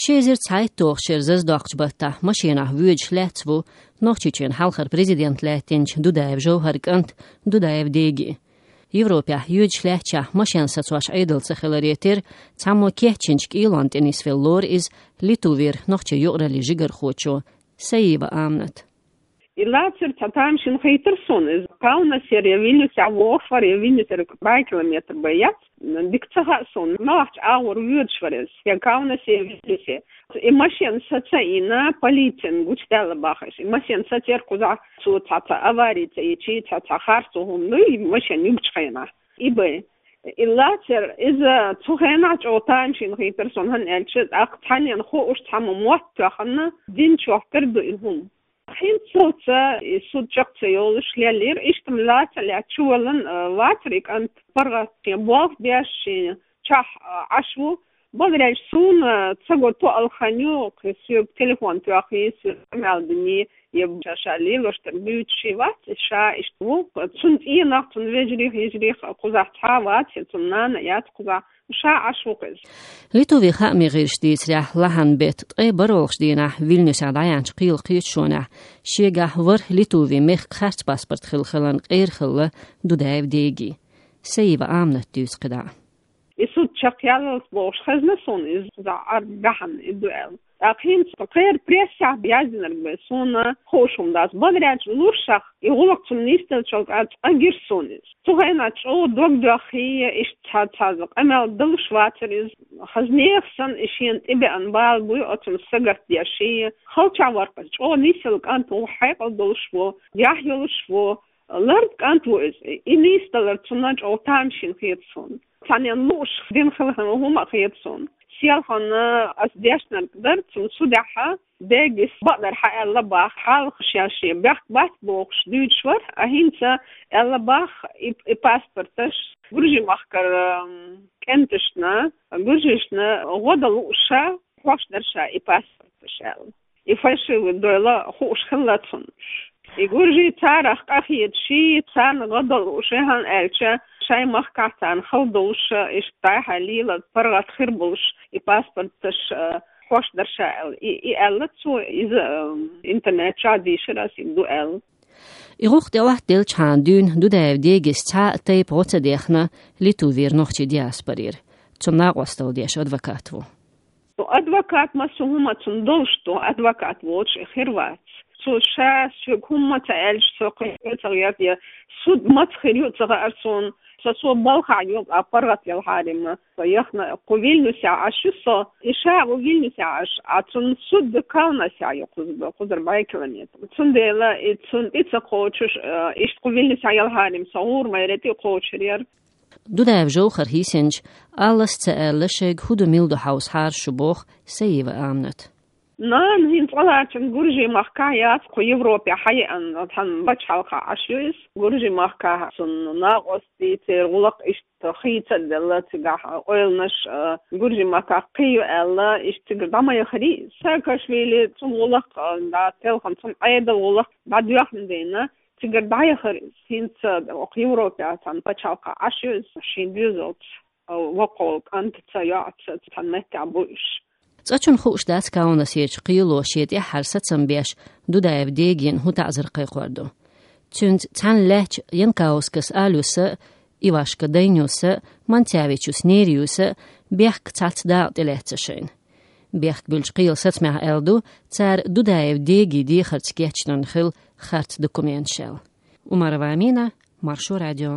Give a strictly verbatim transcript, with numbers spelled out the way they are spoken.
Ши эзар цхьайтталгӀачу шеран зазадоккхучу баттахь машенахь воьдуш лаьцна ву Нохчийчоьнан хьалхара президент лаьттинчу Дудаев Жовхаран кӀант Дудаев Деги. Европехь йоьдуш лаьттачохь машен сацош Ӏедал ца хиларе терра, цхьаммо кечйинчу кӀелонна тӀе нисвелла лору иза Литвера нохчийн юкъараллин жигархочо Саиева Аминат. И лацар цхьа тамашийна хийтира суна иза. Каунасера я Вильнюсехь вогӀуш вара, я Вильнюсера бӀе километр бен яц. Дика ца хаьа суна, муьлхачу агӀор воьдуш вара иза, я Каунасе, я Вильнюсе. И машен саца а йина, полицина гучудаьлла бохуш. И машен сацара кхузахь, цо цхьа, цхьа авари ца йича, цхьа, цхьа харцо хӀума ду, и машен юьгучу хенахь. И бен. И лацар, иза цу хенахь чӀогӀа тамашийна хийтира суна, хӀунда аьлча, тӀаккха цхьаннена хууш цхьамма мотт тоьхна, динчохь тера ду и хӀума. ХӀинца цо и суд чекх ца йолуш лелийра, иштта лаца а лаьцна чуваллан, а, вацара и кӀант паргӀат, шен болх беш, шен чохь, а, Ӏаш ву. Бакъдерг аьлча, суна ца го тоъал хан ю, кхин соьга телефон тоьхна, соьга къамел дина, я ша, ша лелош дерг буьйцуш вац, ша иштта ву. Цуьнан цӀийнах, цуьнан вежарих, йижарих кхузахь цхьа а вац, я цуьнан нана а яц кхузахь. Ша Ӏаш ву-кх иза. Литвин хаамийн гӀирсаша дийцарехь, лахьан беттан ткъе бархӀалгӀачу дийнахь Вильнюсехь дӀаяьхьначу кхелан кхеташонехь шегахь ворхӀ Литвин мехкан харц паспорт хилла хиларна къера хилла Дудаев Деги. Саиева Аминат дуьйцу кхидӀа. И суд чекхъяллалц бохуш хезна суна иза, кхузахь Ӏар баьхьна и ду аьлла. ТӀаккха хӀинца кхеран прессехь яздинарг бен суна хууш хӀума дац. Бакъдерг аьлча, луршах и гӀуллакх цунна нисделлачул тӀаьхьа цкъа гира суна иза. Цу хенахь чӀогӀа дог доьххий, иштта цхьа, цхьа къамел далуш вацара иза. Хаза нехан санна и шена тӀебеана бала буй оцунна сагатдеш, халчахь вара-кх иза. ЧӀогӀа нисъелла кӀант ву, хьекъал долуш ву, яхь йолуш ву, лард кӀант ву иза. И нисдалар цунна чӀогӀа тамашийна хета суна. Цхьаннена лууш дина хилла хӀума а хета суна. Селхана аса дешнарг дара, цунна судехь Дегис бакъдар хьан аьлла бах, хьалха шен, шен бехк бац бохуш дуьйцуш вара, а хӀинца аьлла бах, и, и паспорташ Гуржий-махкара, м, кӀенташна, гуржишна гӀо дан лууш хьош дара ша и паспорташ аьлла. И фальшивый дойла хууш хилла цунна. И гуржий царах къахеташ, царна гӀо дан лууш, хӀунда аьлча шайн махкахь царна хала долуш, иштта дӀай-хьай лела паргӀат хир болуш, и паспорташ, а, хьош дара ша аьлла. И, и аьлла цо, иза, а, интернет чохь дийшира аса и ду аьлла. И гӀуллакх тӀе Ӏоттаделлачхьана дуьйна Дудаев Дегис цхьа а тайпа гӀо ца дехна Литвера нохчийн диаспорера. Цунна накъосталла деш адвокат ву. Адвокат массо а хӀума цунна долуш ду, адвокат воцуш и хир вац. Цо ша соьга хӀумма ца аьлча, со кхин а ца гӀерта, я суд маца хир ю ца хаьара суна, со, со балхахь ю, а паргӀат ялхьарий-м со яхна, кху Вильнюсехь Ӏаш ю со, и ша а ву Вильнюсехь Ӏаш, а цунна суд Каунасехь ю кхуза-, кхузара бӀе километр. Цундела и цунна тӀе ца кхочуш, э, иштта кху Вильнюсехь ялхьарий-м со гӀур майре тӀе кхочур яра. Дудаев Жовхар хӀинца а аллас ца аьлла, шайга хӀун ду, мила ду хьовсахьара шу, боху Саиева Аминат. Нана хӀинца цкъа лаьцна Гуржий-махкахь яц, кху Европе хьаеана, тхан пачхьалкхахь Ӏаш ю иза. Гуржий-махкахь цунна накъостий, церан гӀуллакх иштта хийца а делла, цигахь ойланаш, а, Гуржий-махкахь кхин ю аьлла, иштта цигара дӀа ма яхарий иза. Саакашвили цунна гӀуллакх, а, дӀа телхина, цунна Ӏедал гӀуллакх дӀадоьхна дийна, цигара дӀаяхара иза. ХӀинца оха Европе цхьана пачхьалкхахь Ӏаш ю иза, шен доьзалца, а, воккхачу кӀантаца, йоӀца цхьана меттехь бу уьш. Цкъачунна хууш дац Каунасерчу кхело шен тӀаьххьара сацам беш Дудаев Дегина хӀун таӀзар кхайкхор ду. Цуьнца цхьаьна лаьттачу Янкаускас Алюса а, Ивашка Дайнюса а, Манцевичус Нериюса а бехк цхьацца дакъа тӀелаьцна шайна. Бехк буьллучу кхелан сацамехь аьлла ду, цара Дудаев Деги дехарца кечдина хилла харц документаш аьлла. Умарова Амина, Маршо радио.